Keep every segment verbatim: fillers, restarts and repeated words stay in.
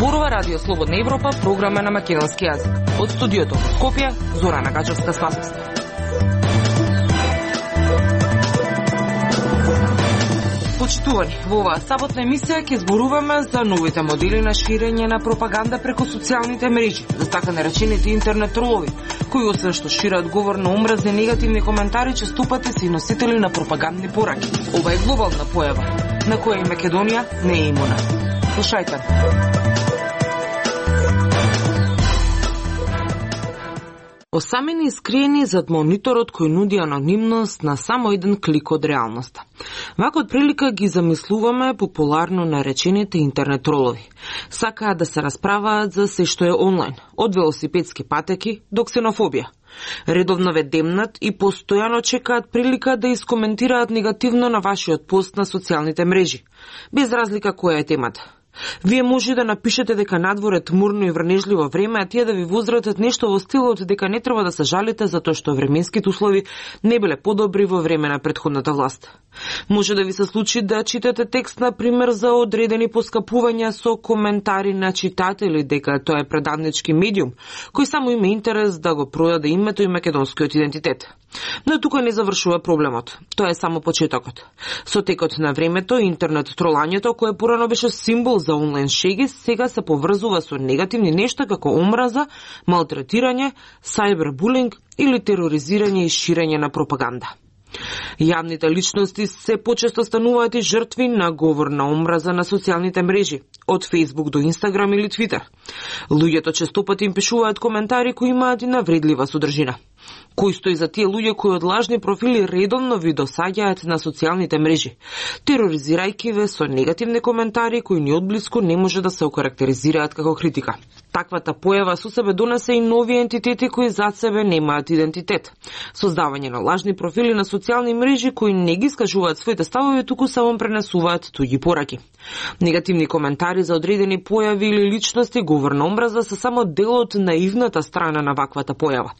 Зборува Радио Слободна Европа, програма на македонски јазик. Од студиото во Скопје, Зорана Гаџевска-Спасовска. Почитувани, во оваа саботна емисија ќе зборуваме за новите модели на ширење на пропаганда преку социјалните мрежи, за така наречените интернет тролови, кои освен што шират говор на омразни негативни коментари, честопати се и носители на пропагандни пораки. Ова е глобална појава, на која и Македонија не е имуна. Слушајте. Осамени и скриени зад мониторот кој нуди анонимност на само еден клик од реалноста. Вака од прилика ги замислуваме популарно наречените интернет тролови. Сакаат да се расправаат за се што е онлайн, од велосипедски патеки до ксенофобија. Редовно ве демнат и постојано чекаат прилика да искоментираат негативно на вашиот пост на социјалните мрежи, без разлика која е темата. Вие може да напишете дека надвор е тмурно и врнежливо време, а тие да ви возратат нешто во стилот дека не треба да се жалите затоа што временските услови не биле подобри во време на претходната власт. Може да ви се случи да читате текст, на пример, за одредени поскапувања со коментари на читатели дека тоа е предавнички медиум, кој само има интерес да го продаде името и македонскиот идентитет. Но тука не завршува проблемот. Тоа е само почетокот. Со текот на времето, интернет тролањето, кое порано беше символ за онлайн шеги, сега се поврзува со негативни нешта како омраза, малтретирање, сајбербулинг или тероризирање и ширење на пропаганда. Јавните личности се почесто стануваат и жртви на говор на омраза на социјалните мрежи, од Facebook до Instagram или Twitter. Луѓето честопати им пишуваат коментари кои имаат и навредлива содржина. Кој стои за тие луѓе кои од лажни профили редовно ви досаѓаат на социјалните мрежи, тероризирајќи ве со негативни коментари кои ни одблиску не може да се окарактеризираат како критика. Таквата појава со себе донесе и нови ентитети кои зад себе немаат идентитет. Создавање на лажни профили на социјални мрежи кои не ги искажуваат своите ставови, туку само пренесуваат туѓи пораки. Негативни коментари за одредени појави или личности, говор на омраза, се само дел од наивната страна на ваквата појава.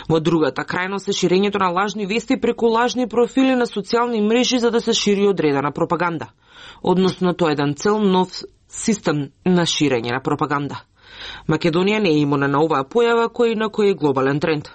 Во другата крајност е ширењето на лажни вести преку лажни профили на социјални мрежи за да се шири одредена пропаганда. Односно, тоа е еден цел нов систем на ширење на пропаганда. Македонија не е имуна на оваа појава кој на кој е глобален тренд.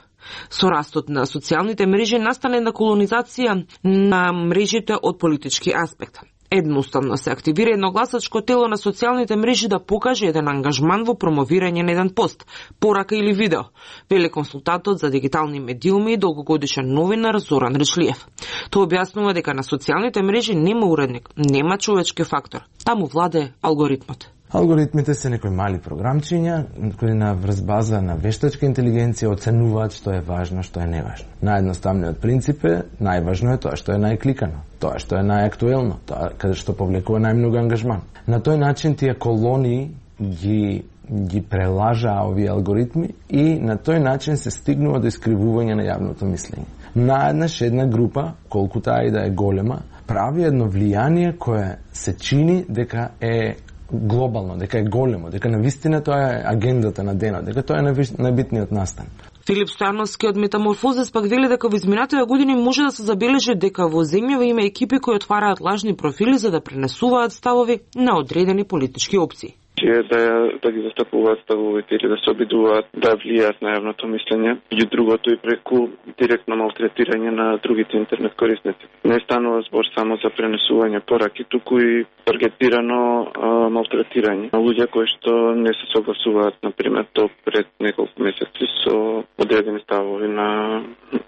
Со растот на социјалните мрежи настане на колонизација на мрежите од политички аспект. Едноставно се активира едногласачко тело на социјалните мрежи да покаже еден ангажман во промовирање на еден пост, порака или видео, вели консултантот за дигитални медиуми и долгогодишен новинар Зоран Речлиев. Тој објаснува дека на социјалните мрежи нема уредник, нема човечки фактор, таму владее алгоритмот. Алгоритмите се некои мали програмчиња кои на врз база на вештачка интелигенција оценуваат што е важно, што е неважно. Наједноставниот принцип е најважно е тоа што е најкликано, тоа што е најактуелно, тоа каде што повлекува најмногу ангажман. На тој начин тие колонии ги ги прелажаа овие алгоритми и на тој начин се стигнува до искривување на јавното мислење. Наеднаш една група, колку таа и да е голема, прави едно влијание кое се чини дека е глобално, дека е големо, дека навистина тоа е агендата на денот, дека тоа е најбитниот настан. Филип Стојановски од Метаморфозис пак вели дека во изминатите години може да се забележи дека во земјава има екипи кои отвараат лажни профили за да пренесуваат ставови на одредени политички опции. Да, да ги застапуваат ставовите или да се обидуваат да влијаат на јавното мислење. И другото и преку директно малтретирање на другите интернет корисници. Не станува збор само за пренесување пораки, туку и таргетирано а, малтретирање на луѓе кои што не се согласуваат, например, до пред неколку месеци со одредени ставови на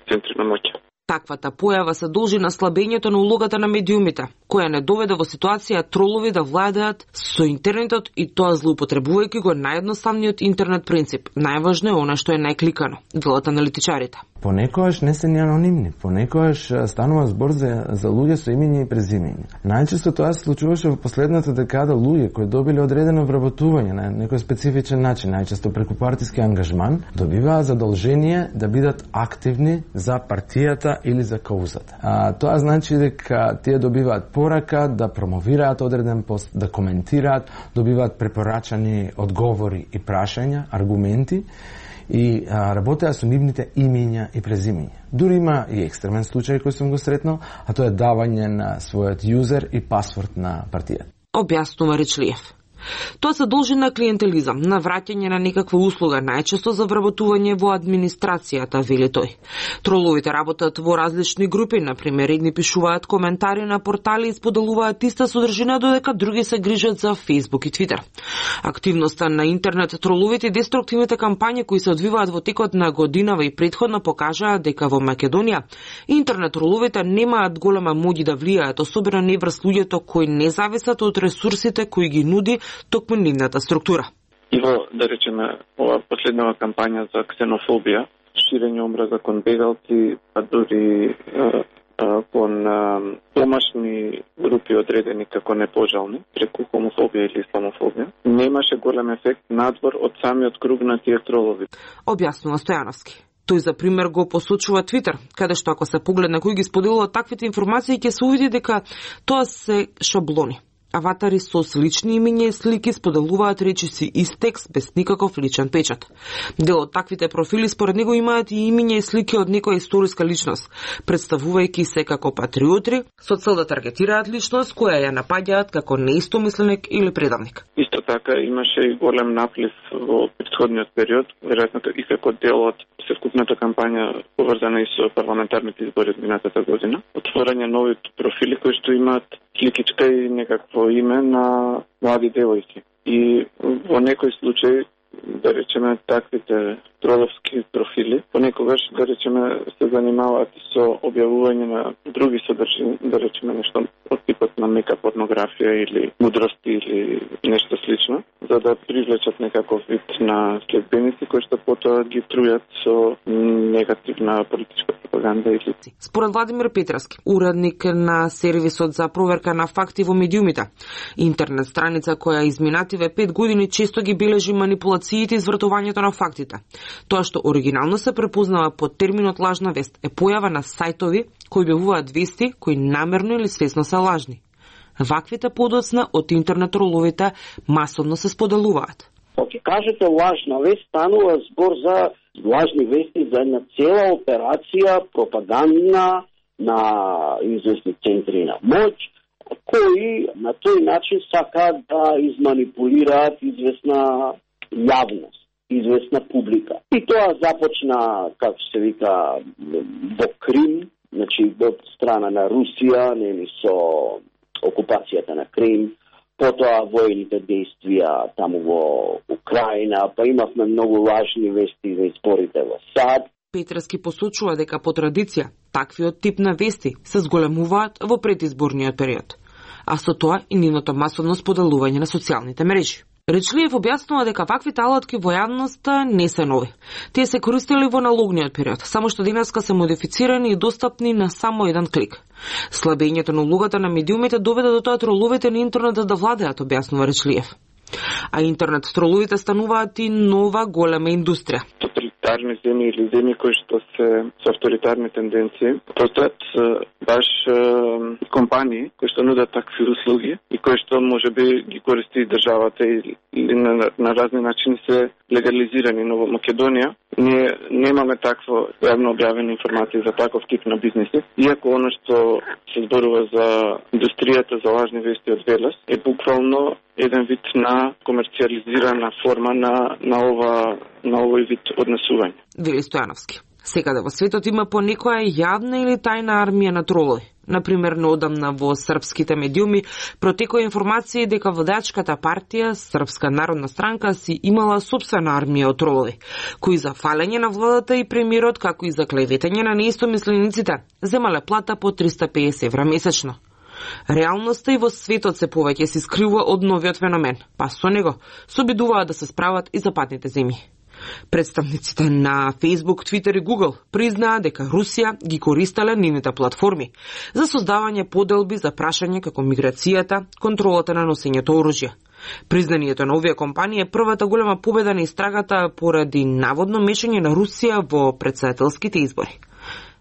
центри на моќ. Таквата појава се должи на слабењето на улогата на медиумите, која не доведе во ситуација тролови да владеат со интернетот и тоа злоупотребувајќи го наједноставниот интернет принцип. Најважно е она што е најкликано, велат аналитичарите. Понекогаш не се ни анонимни, понекогаш станува збор за, за луѓе со имиња и презимиња. Најчесто тоа се случуваше во последната декада луѓе кои добиле одредено вработување на некој специфичен начин, најчесто преку партиски ангажман, добиваа задолжение да бидат активни за партијата или за каузата. А, тоа значи дека тие добиваат порака да промовираат одреден пост, да коментираат, добиваат препорачани одговори и прашања, аргументи и а, работеа со нивните имиња и презимиња. Дури има и екстремен случај кој сум го сретнал, а тоа е давање на својот јузер и пасворд на партијата. Објаснува Речлиев. Тоа се должи на клиентелизам, на враќање на некаква услуга, најчесто за вработување во администрацијата, вели тој. Троловите работат во различни групи, например, едни пишуваат коментари на портали и споделуваат иста содржина, додека други се грижат за Facebook и Twitter. Активноста на интернет троловите и деструктивните кампањи кои се одвиваат во текот на годинава и претходно покажаа дека во Македонија интернет троловите немаат голема моќ да влијаат, особено не врз луѓето кои не зависат од ресурсите кои ги нуди токму нивната структура. И во, да речеме, ова последнава кампања за ксенофобија, ширење омраза кон бегалци, а дури кон домашни групи одредени како непожални, преку хомофобија или исламофобија, немаше голем ефект надвор од самиот круг на тие тролови. Објаснува Стојановски. Тој за пример го посочува Твитер, каде што ако се погледне кој ги споделува таквите информации, ќе се увиди дека тоа се шаблони. Аватари со слични имиња и слики споделуваат речиси и текст без никаков личен печат. Дел од таквите профили според него имаат и имиња и слики од некоја историска личност, представувајќи се како патриотри, со цел да таргетираат личност која ја напаѓаат како неистомисленик или предавник. Исто така имаше и голем наплив во претходниот период, веројатно и како дел од севкупната кампања поврзана и со парламентарните избори од минатата година. Отворање нови профили кои што имаат сликичка и некакво име на млади девојки. И во некој случај, да речеме, таквите троловски профили, понекогаш, да речеме, се занимаваат со објавување на други содржини, да речеме нешто од типот на мека порнографија или мудрости или нешто слично, за да привлечат некаков вид на следбеници кои што потоа ги трујат со негативна политичка пропаганда или... Според Владимир Петровски, уредник на сервисот за проверка на факти во медиумите, интернет страница која изминативе пет години често ги бележи манипулациите и извртувањето на фактите. Тоа што оригинално се препознава под терминот лажна вест е појава на сајтови кои објавуваат вести кои намерно или свесно се лажни. Ваквите подоцна од интернет троловите масовно се споделуваат. Ако кажете лажна вест, станува збор за лажни вести за една цела операција пропагандна на известни центри на моќ, кои на тој начин сакаат да изманипулираат известна јавност, известна публика. И тоа започна, како се вика, во Крим, значи од страна на Русија, нели со окупацијата на Крим, потоа воените действија таму во Украина, па имавме многу лажни вести за изборите во САД. Петровски посочува дека по традиција таквиот тип на вести се зголемуваат во предизборниот период, а со тоа и нивното масовно споделување на социјалните мрежи. Речлиев објаснува дека ваквите алатки во јавноста не се нови. Тие се користели во налогниот период, само што денеска се модифицирани и достапни на само еден клик. Слабењето на улогата на медиумите доведе до тоа троловите на интернетот да владеат, објаснува Речлиев. А интернет троловите стануваат и нова голема индустрија. Тоталитарни земји или земји кои што се со авторитарни тенденции, постојат баш е, компании кои што нудат такви услуги и кои што можеби ги користи државата или на, на разни начини се легализирани, но во Македонија ние немаме такво јавно објавени информации за таков тип на бизнеси, иако оно што се зборува за индустријата за лажни вести од Велес е буквално еден вид на комерцијализирана форма на на ова на овој вид однесување. Вели Стојановски. Секаде во светот има по некоја јавна или тајна армија на тролови. Например, неодамна во српските медиуми протекоа информации дека водачката партија, Српска народна странка, си имала сопствена армија од тролови, кои за фалење на владата и премиерот, како и за клеветање на неистомислениците, земале плата по триста и педесет евра месечно. Реалноста и во светот се повеќе се скрива од новиот феномен, па со него се обидуваат да се справат и западните земји. Представниците на Facebook, Twitter и Google признаа дека Русија ги користеле нивните платформи за создавање поделби за прашање како миграцијата, контролата на носењето оружје. Признанието на овие компании е првата голема победа на истрагата поради наводно мешање на Русија во претседателските избори.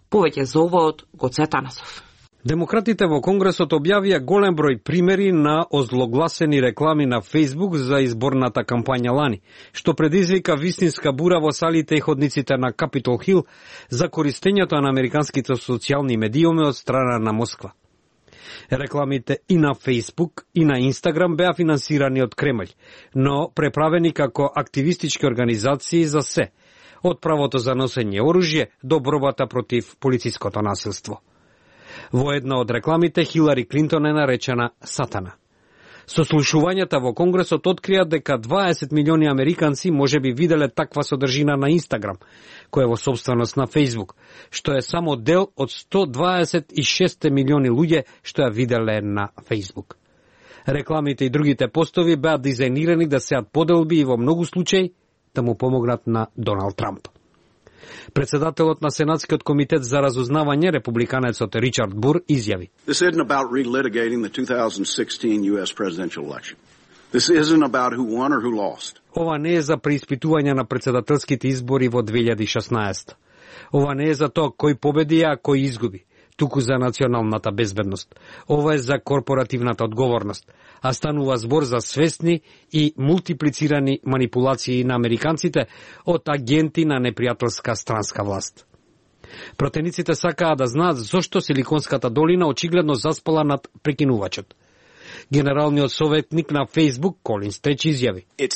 Повеќе за ова од Гоце Атанасов. Демократите во Конгресот објавија голем број примери на озлогласени реклами на Facebook за изборната кампања лани, што предизвика вистинска бура во салите и ходниците на Капитол Хил за користењето на американските социјални медиуми од страна на Москва. Рекламите и на Facebook и на Instagram беа финансирани од Кремљ, но преправени како активистички организации за се, од правото за носење оружје до борбата против полициското насилство. Во една од рекламите Хилари Клинтон е наречена Сатана. Сослушувањата во Конгресот открија дека дваесет милиони американци може би виделе таква содржина на Инстаграм, која е во собственост на Facebook, што е само дел од сто дваесет и шест милиони луѓе што ја виделе на Facebook. Рекламите и другите постови беа дизајнирани да сеат поделби и во многу случаи да му помогнат на Доналд Трамп. Председателот на Сенатскиот комитет за разузнавање, републиканецот Ричард Бур, изјави: This isn't about relitigating the two thousand sixteen U S presidential election. This isn't about who won or who lost. Ова не е за преиспитување на председателските избори во две илјади и шеснаесета. Ова не е за тоа кој победи, а кој изгуби, туку за националната безбедност. Ова е за корпоративната одговорност, а станува збор за свесни и мултиплицирани манипулации на американците од агенти на непријателска странска власт. Пратениците сакаа да знаат зошто Силиконската долина очигледно заспала над прекинувачот. Генералниот советник на Facebook, Колин Стреч, изјави: It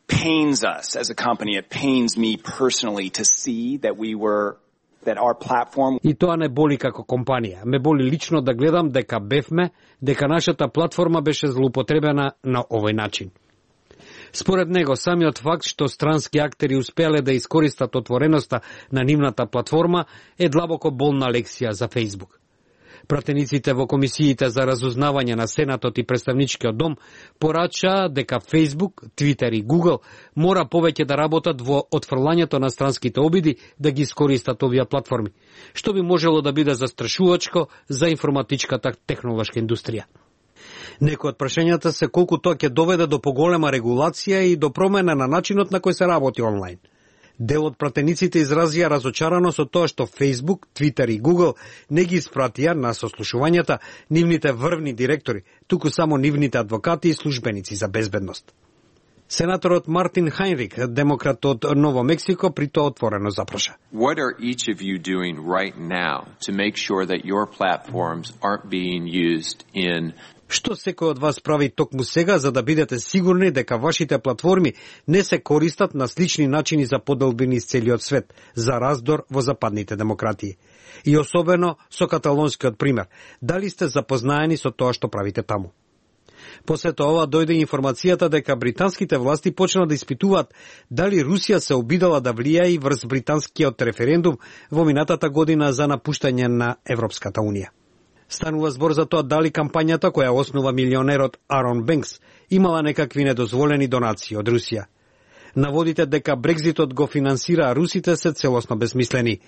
pains us as a company, it pains me personally to see that we were that our platform... И тоа не боли како компанија. Ме боли лично да гледам дека бевме, дека нашата платформа беше злоупотребена на овој начин. Според него, самиот факт што странски актери успеале да искористат отвореноста на нивната платформа е длабоко болна лекција за Facebook. Пратениците во комисиите за разузнавање на Сенатот и Представничкиот дом порачаа дека Facebook, Twitter и Google мора повеќе да работат во отфрлањето на странските обиди да ги искористат овие платформи, што би можело да биде застрашувачко за информатичката технолошка индустрија. Некои од прашањата се колку тоа ќе доведе до поголема регулација и до промена на начинот на кој се работи онлайн. Дел од пратениците изразија разочарано со тоа што Facebook, Twitter и Google не ги испратија на сослушувањата нивните врвни директори, туку само нивните адвокати и службеници за безбедност. Сенаторот Мартин Хайнрик, демократ од Ново Мексико, при тоа отворено запраша: What are each of you doing right now to make sure that your platforms aren't being used in Што секој од вас прави токму сега за да бидете сигурни дека вашите платформи не се користат на слични начини за поделбини из целиот свет, за раздор во западните демократии? И особено со каталонскиот пример. Дали сте запознаени со тоа што правите таму? После тоа дојде информацијата дека британските власти почна да испитуваат дали Русија се обидала да влијае врз британскиот референдум во минатата година за напуштање на Европската унија. Станува збор за тоа дали кампањата која основа милионерот Арон Бенкс имала некакви недозволени донации од Русија. Наводите дека Брекзитот го финансира русите се целосно безмислени,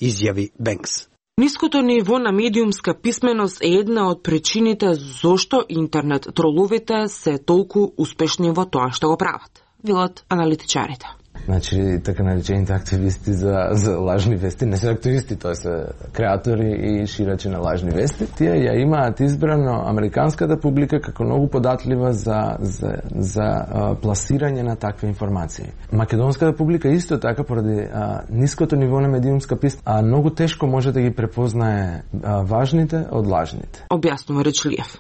изјави Бенкс. Ниското ниво на медиумска писменост е една од причините зошто интернет троловите се толку успешни во тоа што го прават, велат аналитичарите. Значи, така наречените активисти за, за лажни вести, не се активисти, тоа се креатори и ширачи на лажни вести. Тие ја имаат избрано американската публика како многу податлива за, за, за а, пласирање на такви информации. Македонската публика исто така, поради а, ниското ниво на медиумска писменост, а многу тешко може да ги препознае а, важните од лажните. Објаснува Речлиев.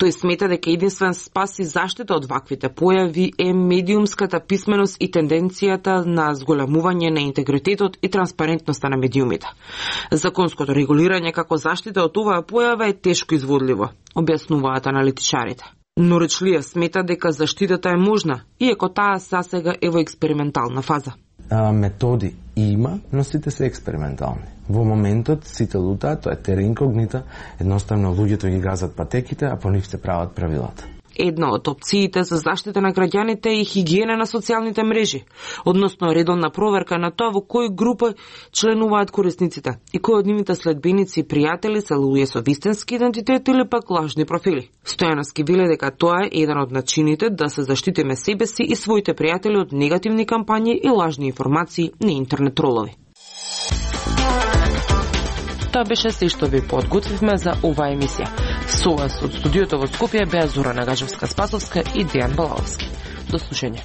Тој смета дека единствен спас и заштита од ваквите појави е медиумската писменост и тенденцијата на зголемување на интегритетот и транспарентноста на медиумите. Законското регулирање како заштита од оваа појава е тешко изводливо, објаснуваат аналитичарите. Но Речлиев смета дека заштитата е можна, иако таа сасега е во експериментална фаза. А, методи има, но сите се експериментални. Во моментот сите лутаат, тоа е тера инкогнита, едноставно луѓето ги газат патеките, а по нив се прават правилата. Една од опциите за заштита на граѓаните е хигиена на социјалните мрежи, односно редовна проверка на тоа во кои групи членуваат корисниците и кои од нивните следбеници и пријатели се луѓе со вистински идентитет или пак лажни профили. Стојановски веле дека тоа е еден од начините да се заштитиме себе си и своите пријатели од негативни кампањи и лажни информации на интернет тролови. Тоа беше се што ви подготвивме за оваа емисија. Со вас од студиото во Скопје беа Зора Нагажевска-Спасовска и Дејан Балаловски. До слушање.